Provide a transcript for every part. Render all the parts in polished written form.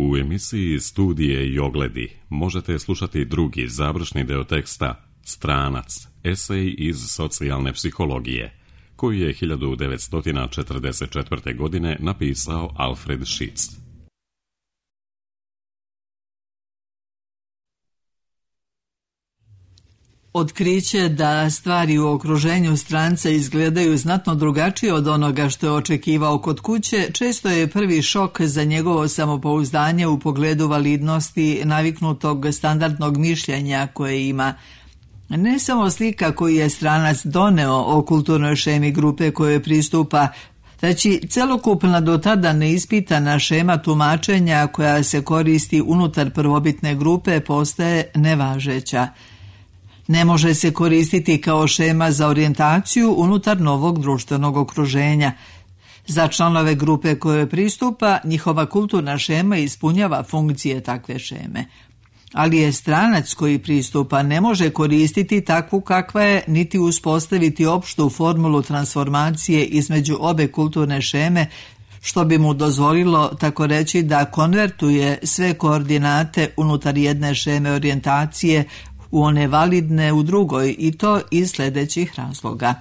U emisiji Studije i ogledi možete slušati drugi završni deo teksta Stranac, esej iz socijalne psihologije, koji je 1944. godine napisao Alfred Schitz. Otkriće da stvari u okruženju stranca izgledaju znatno drugačije od onoga što je očekivao kod kuće, često je prvi šok za njegovo samopouzdanje u pogledu validnosti naviknutog standardnog mišljenja koje ima. Ne samo slika koju je stranac doneo o kulturnoj šemi grupe kojoj pristupa, već i celokupna do tada neispitana šema tumačenja koja se koristi unutar prvobitne grupe postaje nevažeća. Ne može se koristiti kao šema za orijentaciju unutar novog društvenog okruženja. Za članove grupe koje pristupa, njihova kulturna šema ispunjava funkcije takve šeme. Ali je stranac koji pristupa ne može koristiti takvu kakva je, niti uspostaviti opštu formulu transformacije između obe kulturne šeme, što bi mu dozvolilo, tako reći, da konvertuje sve koordinate unutar jedne šeme orijentacije u one validne u drugoj, i to iz sljedećih razloga.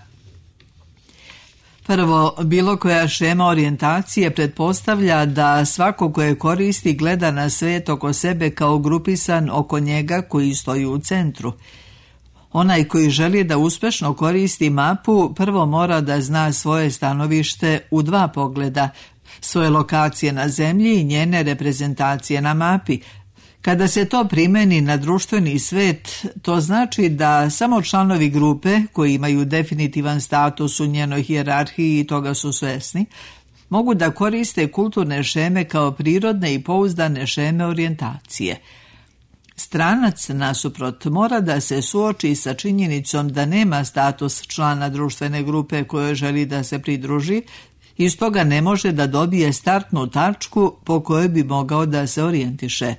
Prvo, bilo koja šema orijentacije pretpostavlja da svako koje koristi gleda na svijet oko sebe kao grupisan oko njega koji stoji u centru. Onaj koji želi da uspešno koristi mapu prvo mora da zna svoje stanovište u dva pogleda, svoje lokacije na zemlji i njene reprezentacije na mapi. Kada se to primeni na društveni svet, to znači da samo članovi grupe, koji imaju definitivan status u njenoj hijerarhiji i toga su svesni, mogu da koriste kulturne šeme kao prirodne i pouzdane šeme orijentacije. Stranac, nasuprot, mora da se suoči sa činjenicom da nema status člana društvene grupe kojoj želi da se pridruži i stoga ne može da dobije startnu tačku po kojoj bi mogao da se orijentiše.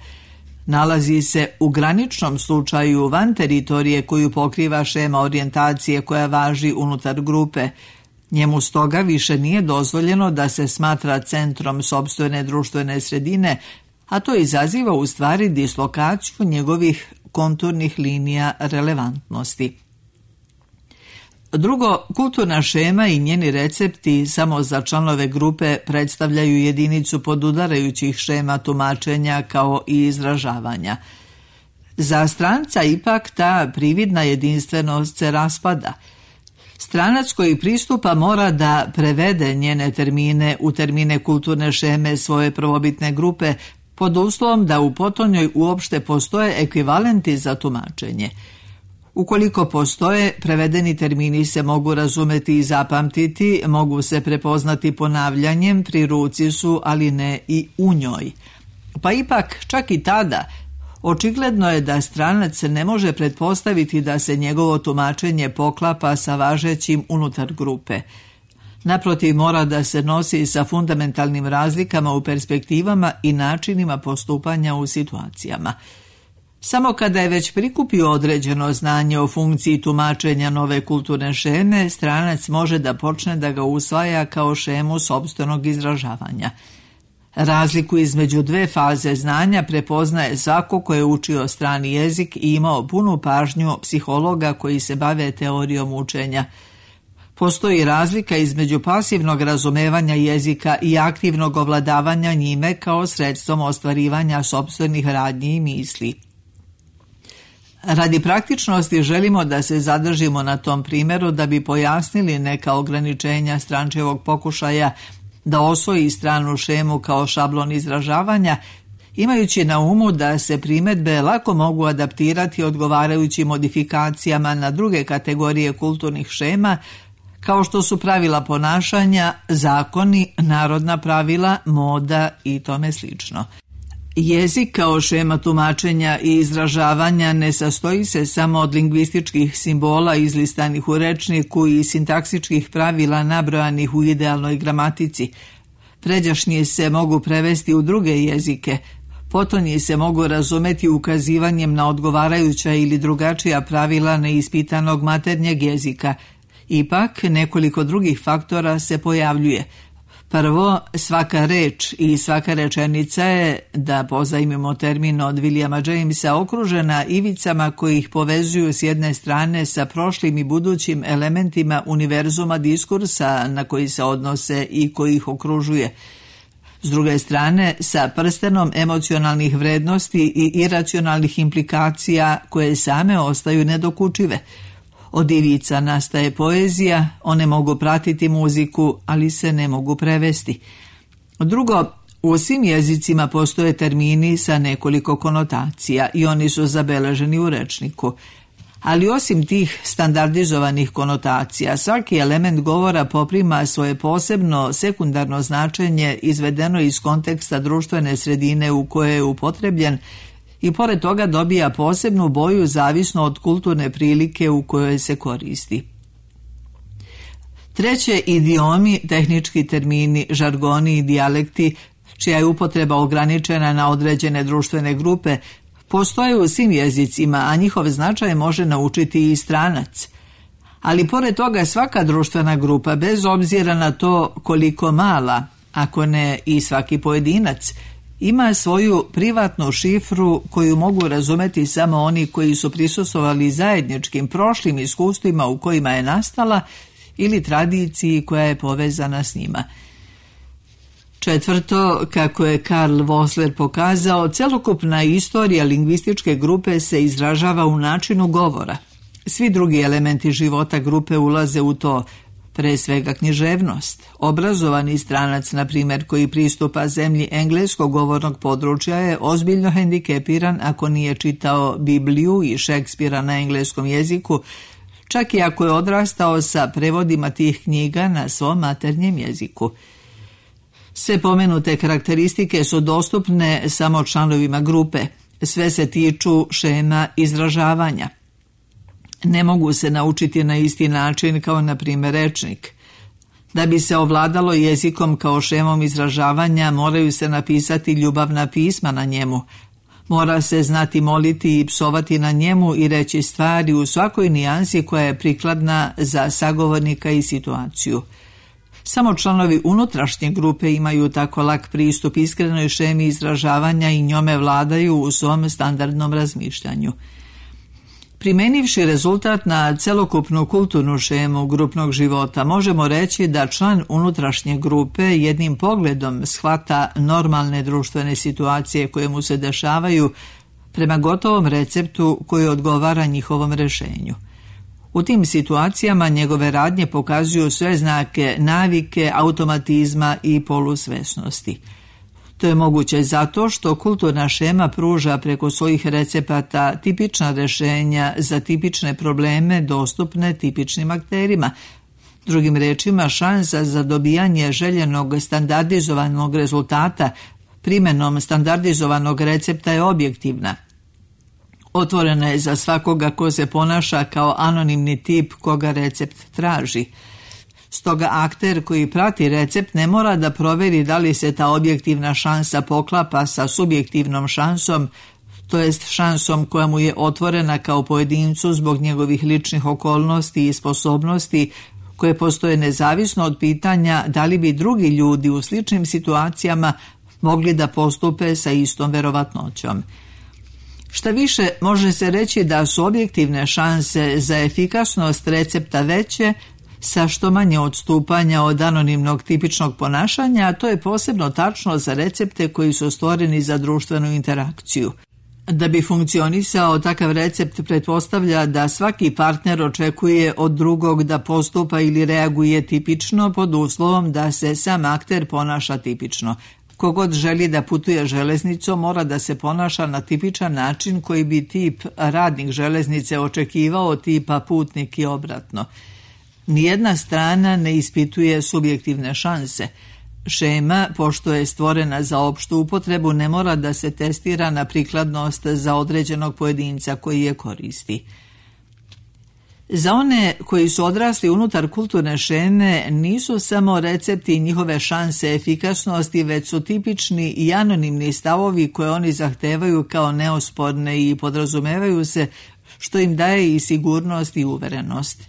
Nalazi se u graničnom slučaju van teritorije koju pokriva šema orijentacije koja važi unutar grupe. Njemu stoga više nije dozvoljeno da se smatra centrom sopstvene društvene sredine, a to izaziva u stvari dislokaciju njegovih konturnih linija relevantnosti. Drugo, kulturna šema i njeni recepti samo za članove grupe predstavljaju jedinicu podudarajućih šema tumačenja kao i izražavanja. Za stranca ipak ta prividna jedinstvenost se raspada. Stranac koji pristupa mora da prevede njene termine u termine kulturne šeme svoje prvobitne grupe pod uslovom da u potonjoj uopšte postoje ekvivalenti za tumačenje. Ukoliko postoje, prevedeni termini se mogu razumeti i zapamtiti, mogu se prepoznati ponavljanjem, pri ruci su, ali ne i u njoj. Pa ipak, čak i tada, očigledno je da stranac ne može pretpostaviti da se njegovo tumačenje poklapa sa važećim unutar grupe. Naprotiv, mora da se nosi sa fundamentalnim razlikama u perspektivama i načinima postupanja u situacijama. Samo kada je već prikupio određeno znanje o funkciji tumačenja nove kulturne šeme, stranac može da počne da ga usvaja kao šemu sopstvenog izražavanja. Razliku između dve faze znanja prepoznaje svako ko je učio strani jezik i imao punu pažnju psihologa koji se bave teorijom učenja. Postoji razlika između pasivnog razumevanja jezika i aktivnog ovladavanja njime kao sredstvom ostvarivanja sopstvenih radnji i misli. Radi praktičnosti želimo da se zadržimo na tom primjeru da bi pojasnili neka ograničenja strančevog pokušaja da osvoji stranu šemu kao šablon izražavanja, imajući na umu da se primjedbe lako mogu adaptirati odgovarajućim modifikacijama na druge kategorije kulturnih šema, kao što su pravila ponašanja, zakoni, narodna pravila, moda i tome slično. Jezik kao šema tumačenja i izražavanja ne sastoji se samo od lingvističkih simbola izlistanih u rečniku i sintaksičkih pravila nabrojanih u idealnoj gramatici. Pređašnji se mogu prevesti u druge jezike, potonji se mogu razumeti ukazivanjem na odgovarajuća ili drugačija pravila neispitanog maternjeg jezika. Ipak, nekoliko drugih faktora se pojavljuje. Prvo, svaka reč i svaka rečenica je, da pozajmimo termin od Williama Jamesa, okružena ivicama koji ih povezuju s jedne strane sa prošlim i budućim elementima univerzuma diskursa na koji se odnose i koji ih okružuje. S druge strane, sa prstenom emocionalnih vrednosti i iracionalnih implikacija koje same ostaju nedokučive. Od ivica nastaje poezija, one mogu pratiti muziku, ali se ne mogu prevesti. Drugo, u svim jezicima postoje termini sa nekoliko konotacija i oni su zabeleženi u rečniku. Ali osim tih standardizovanih konotacija, svaki element govora poprima svoje posebno sekundarno značenje izvedeno iz konteksta društvene sredine u kojoj je upotrebljen i pored toga dobija posebnu boju zavisno od kulturne prilike u kojoj se koristi. Treće, idiomi, tehnički termini, žargoni i dijalekti, čija je upotreba ograničena na određene društvene grupe, postoje u svim jezicima, a njihov značaj može naučiti i stranac. Ali pored toga svaka društvena grupa, bez obzira na to koliko mala, ako ne i svaki pojedinac, ima svoju privatnu šifru koju mogu razumeti samo oni koji su prisustvovali zajedničkim prošlim iskustvima u kojima je nastala ili tradiciji koja je povezana s njima. Četvrto, kako je Karl Vossler pokazao, celokupna istorija lingvističke grupe se izražava u načinu govora. Svi drugi elementi života grupe ulaze u to, pre svega književnost. Obrazovani stranac, na primjer, koji pristupa zemlji engleskog govornog područja je ozbiljno hendikepiran ako nije čitao Bibliju i Šekspira na engleskom jeziku, čak i ako je odrastao sa prevodima tih knjiga na svom maternjem jeziku. Sve pomenute karakteristike su dostupne samo članovima grupe. Sve se tiču šema izražavanja. Ne mogu se naučiti na isti način kao, na primjer, rečnik. Da bi se ovladalo jezikom kao šemom izražavanja, moraju se napisati ljubavna pisma na njemu. Mora se znati moliti i psovati na njemu i reći stvari u svakoj nijansi koja je prikladna za sagovornika i situaciju. Samo članovi unutrašnje grupe imaju tako lak pristup iskrenoj šemi izražavanja i njome vladaju u svom standardnom razmišljanju. Primenivši rezultat na celokupnu kulturnu šemu grupnog života, možemo reći da član unutrašnje grupe jednim pogledom shvata normalne društvene situacije koje mu se dešavaju prema gotovom receptu koji odgovara njihovom rešenju. U tim situacijama njegove radnje pokazuju sve znake navike, automatizma i polusvesnosti. To je moguće zato što kulturna šema pruža preko svojih recepata tipična rešenja za tipične probleme dostupne tipičnim akterima. Drugim rečima, šansa za dobijanje željenog standardizovanog rezultata primenom standardizovanog recepta je objektivna. Otvorena je za svakoga ko se ponaša kao anonimni tip koga recept traži. Stoga akter koji prati recept ne mora da proveri da li se ta objektivna šansa poklapa sa subjektivnom šansom, to jest šansom koja mu je otvorena kao pojedincu zbog njegovih ličnih okolnosti i sposobnosti koje postoje nezavisno od pitanja da li bi drugi ljudi u sličnim situacijama mogli da postupe sa istom verovatnoćom. Šta više, može se reći da su objektivne šanse za efikasnost recepta veće sa što manje odstupanja od anonimnog tipičnog ponašanja, a to je posebno tačno za recepte koji su stvoreni za društvenu interakciju. Da bi funkcionisao, takav recept pretpostavlja da svaki partner očekuje od drugog da postupa ili reaguje tipično pod uslovom da se sam akter ponaša tipično. Kogod želi da putuje železnicom mora da se ponaša na tipičan način koji bi tip radnik železnice očekivao tipa putnik i obratno. Nijedna strana ne ispituje subjektivne šanse. Šema, pošto je stvorena za opštu upotrebu, ne mora da se testira na prikladnost za određenog pojedinca koji je koristi. Za one koji su odrasli unutar kulturne šeme nisu samo recepti i njihove šanse efikasnosti, već su tipični i anonimni stavovi koje oni zahtevaju kao neosporne i podrazumevaju se, što im daje i sigurnost i uverenost.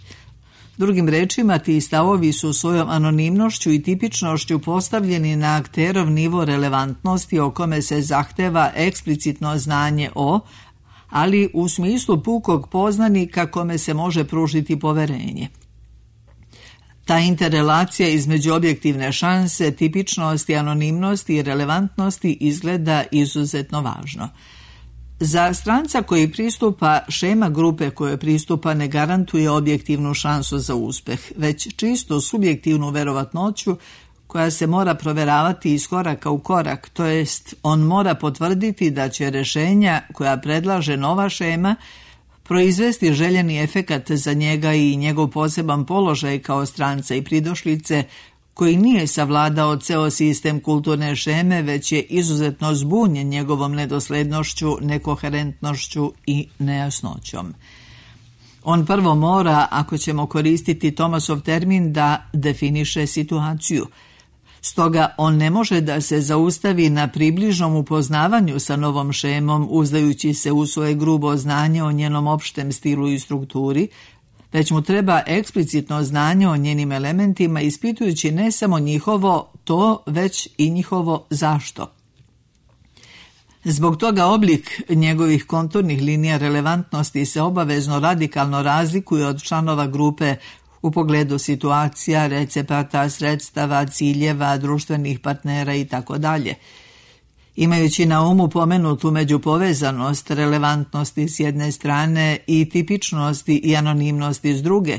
Drugim rečima, ti stavovi su svojom anonimnošću i tipičnošću postavljeni na akterov nivo relevantnosti o kome se zahteva eksplicitno znanje o, ali u smislu pukog poznanika kome se može pružiti poverenje. Ta interrelacija između objektivne šanse, tipičnosti, anonimnosti i relevantnosti izgleda izuzetno važno. Za stranca koji pristupa, šema grupe koje pristupa ne garantuje objektivnu šansu za uspeh, već čisto subjektivnu verovatnoću koja se mora proveravati iz koraka u korak, to jest on mora potvrditi da će rješenja koja predlaže nova šema proizvesti željeni efekat za njega i njegov poseban položaj kao stranca i pridošlice, koji nije savladao ceo sistem kulturne šeme, već je izuzetno zbunjen njegovom nedoslednošću, nekoherentnošću i nejasnoćom. On prvo mora, ako ćemo koristiti Thomasov termin, da definiše situaciju. Stoga on ne može da se zaustavi na približnom upoznavanju sa novom šemom, uzdajući se u svoje grubo znanje o njenom opštem stilu i strukturi, već mu treba eksplicitno znanje o njenim elementima, ispitujući ne samo njihovo to, već i njihovo zašto. Zbog toga oblik njegovih konturnih linija relevantnosti se obavezno radikalno razlikuje od članova grupe u pogledu situacija, recepata, sredstava, ciljeva, društvenih partnera itd. Imajući na umu pomenutu međupovezanost, relevantnosti s jedne strane i tipičnosti i anonimnosti s druge,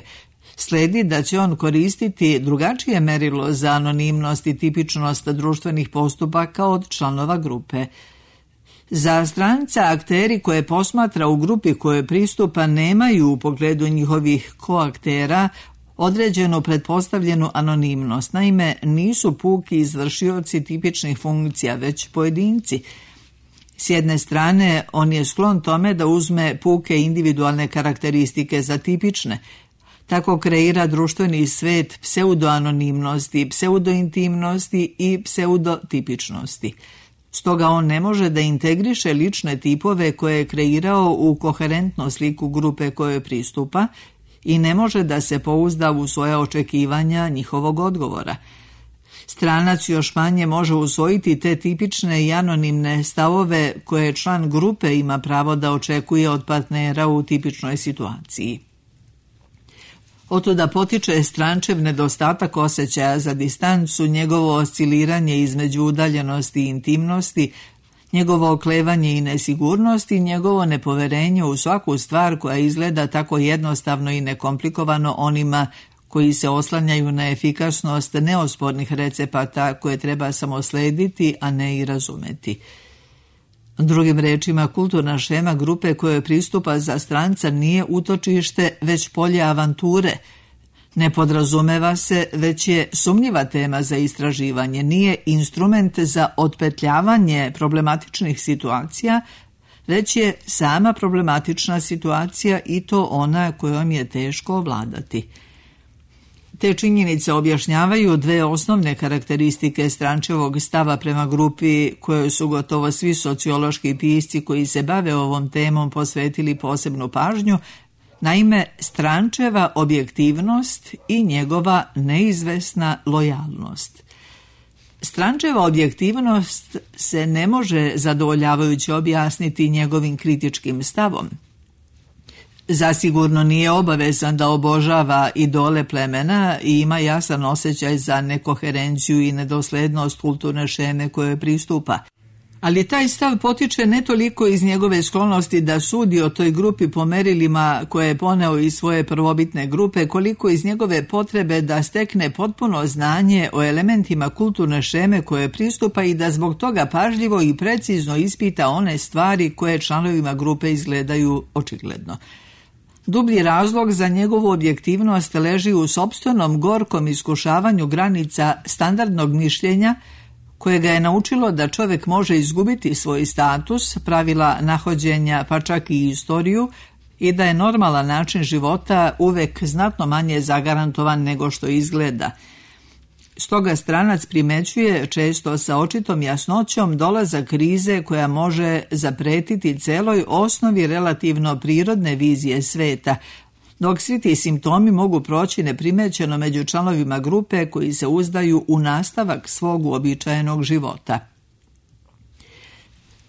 sledi da će on koristiti drugačije merilo za anonimnost i tipičnost društvenih postupaka od članova grupe. Za stranca akteri koje posmatra u grupi koje pristupa nemaju u pogledu njihovih koaktera određenu pretpostavljenu anonimnost. Naime, nisu puki izvršioci tipičnih funkcija, već pojedinci. S jedne strane, on je sklon tome da uzme puke individualne karakteristike za tipične. Tako kreira društveni svet pseudoanonimnosti, pseudointimnosti i pseudotipičnosti. Stoga on ne može da integriše lične tipove koje je kreirao u koherentnu sliku grupe koje pristupa i ne može da se pouzda u svoja očekivanja njihovog odgovora. Stranac još manje može usvojiti te tipične i anonimne stavove koje član grupe ima pravo da očekuje od partnera u tipičnoj situaciji. Otuda potiče strančev nedostatak osjećaja za distancu, njegovo osciliranje između udaljenosti i intimnosti, njegovo oklevanje i nesigurnost i njegovo nepoverenje u svaku stvar koja izgleda tako jednostavno i nekomplikovano onima koji se oslanjaju na efikasnost neospornih recepata koje treba samo slediti, a ne i razumeti. Drugim rečima, kulturna šema grupe koje pristupa za stranca nije utočište, već polje avanture. Ne podrazumeva se, već je sumnjiva tema za istraživanje, nije instrument za otpetljavanje problematičnih situacija, već je sama problematična situacija i to ona kojom je teško ovladati. Te činjenice objašnjavaju dve osnovne karakteristike strančevog stava prema grupi koje su gotovo svi sociološki pisci koji se bave ovom temom posvetili posebnu pažnju, naime strančeva objektivnost i njegova neizvesna lojalnost. Strančeva objektivnost se ne može zadovoljavajuće objasniti njegovim kritičkim stavom. Zasigurno nije obavezan da obožava idole plemena i ima jasan osjećaj za nekoherenciju i nedoslednost kulturne šeme koje pristupa. Ali taj stav potiče ne toliko iz njegove sklonosti da sudi o toj grupi po merilima koje je poneo iz svoje prvobitne grupe, koliko iz njegove potrebe da stekne potpuno znanje o elementima kulturne šeme koje pristupa i da zbog toga pažljivo i precizno ispita one stvari koje članovima grupe izgledaju očigledno. Dublji razlog za njegovu objektivnost leži u sopstvenom gorkom iskušavanju granica standardnog mišljenja koje ga je naučilo da čovjek može izgubiti svoj status, pravila nahođenja pa čak i istoriju i da je normalan način života uvek znatno manje zagarantovan nego što izgleda. Stoga stranac primećuje često sa očitom jasnoćom dolazak krize koja može zapretiti celoj osnovi relativno prirodne vizije sveta, dok svi ti simptomi mogu proći neprimećeno među članovima grupe koji se uzdaju u nastavak svog uobičajenog života.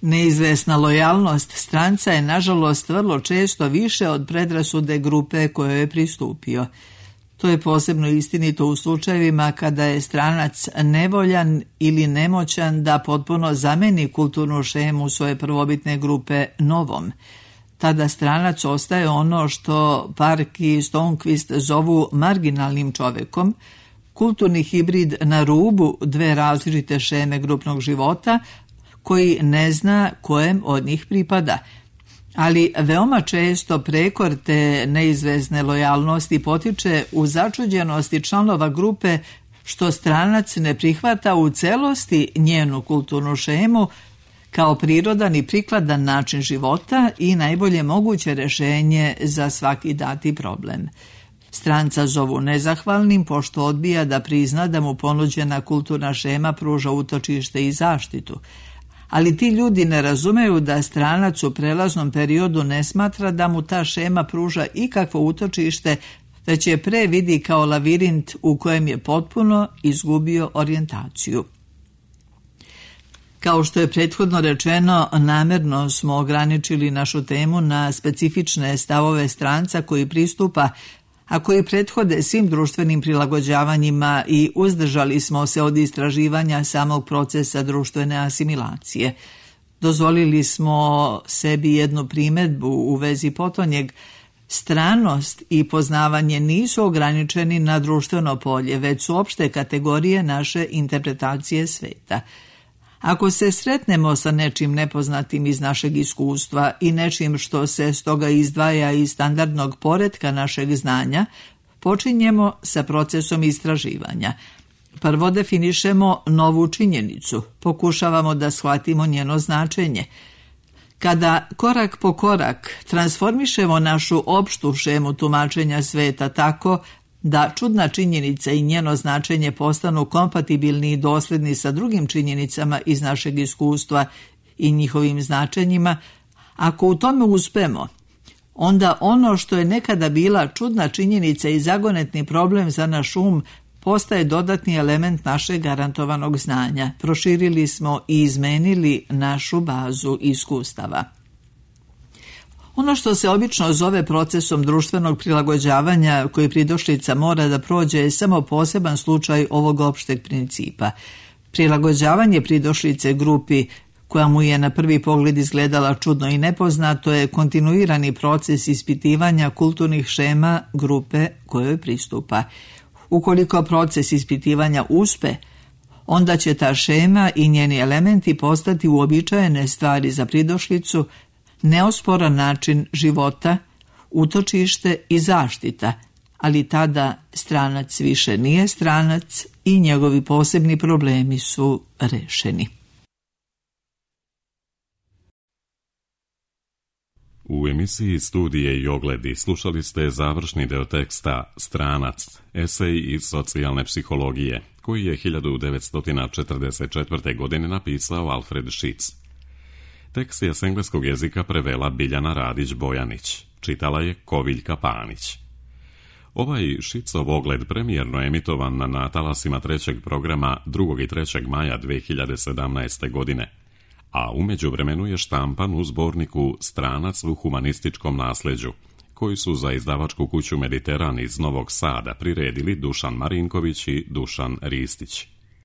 Neizvesna lojalnost stranca je nažalost vrlo često više od predrasude grupe kojoj je pristupio. To je posebno istinito u slučajevima kada je stranac nevoljan ili nemoćan da potpuno zameni kulturnu šemu svoje prvobitne grupe novom. Tada stranac ostaje ono što Park i Stonquist zovu marginalnim čovekom, kulturni hibrid na rubu dve različite šeme grupnog života, koji ne zna kojem od njih pripada. Ali veoma često prekor te neizvesne lojalnosti potiče u začuđenosti članova grupe što stranac ne prihvata u celosti njenu kulturnu šemu kao prirodan i prikladan način života i najbolje moguće rješenje za svaki dati problem. Stranca zovu nezahvalnim pošto odbija da prizna da mu ponuđena kulturna šema pruža utočište i zaštitu. Ali ti ljudi ne razumeju da stranac u prelaznom periodu ne smatra da mu ta šema pruža ikakvo utočište, već je pre vidi kao lavirint u kojem je potpuno izgubio orijentaciju. Kao što je prethodno rečeno, namjerno smo ograničili našu temu na specifične stavove stranca koji pristupa, a koji prethode svim društvenim prilagođavanjima i uzdržali smo se od istraživanja samog procesa društvene asimilacije. Dozvolili smo sebi jednu primjedbu u vezi potonjeg. Stranost i poznavanje nisu ograničeni na društveno polje, već su opšte kategorije naše interpretacije sveta. Ako se sretnemo sa nečim nepoznatim iz našeg iskustva i nečim što se stoga izdvaja iz standardnog poretka našeg znanja, počinjemo sa procesom istraživanja. Prvo definišemo novu činjenicu, pokušavamo da shvatimo njeno značenje. Kada korak po korak transformišemo našu opštu šemu tumačenja sveta tako da čudna činjenica i njeno značenje postanu kompatibilni i dosledni sa drugim činjenicama iz našeg iskustva i njihovim značenjima, ako u tome uspemo, onda ono što je nekada bila čudna činjenica i zagonetni problem za naš postaje dodatni element našeg garantovanog znanja. Proširili smo i izmenili našu bazu iskustava. Ono što se obično zove procesom društvenog prilagođavanja koji pridošlica mora da prođe je samo poseban slučaj ovog opšteg principa. Prilagođavanje pridošlice grupi koja mu je na prvi pogled izgledala čudno i nepoznato je kontinuirani proces ispitivanja kulturnih šema grupe kojoj pristupa. Ukoliko proces ispitivanja uspe, onda će ta šema i njeni elementi postati uobičajene stvari za pridošlicu, neosporan način života, utočište i zaštita, ali tada stranac više nije stranac i njegovi posebni problemi su rešeni. U emisiji Studije i ogledi slušali ste završni deo teksta Stranac, esej iz socijalne psihologije, koji je 1944. godine napisao Alfred Šitz. Tekst je s engleskog jezika prevela Biljana Radić-Bojanić, čitala je Koviljka Panić. Ovaj Šitzov ogled premijerno emitovan na talasima trećeg programa 2. i 3. maja 2017. godine, a u međuvremenu je štampan u zborniku Stranac u humanističkom nasleđu, koji su za izdavačku kuću Mediteran iz Novog Sada priredili Dušan Marinković i Dušan Ristić.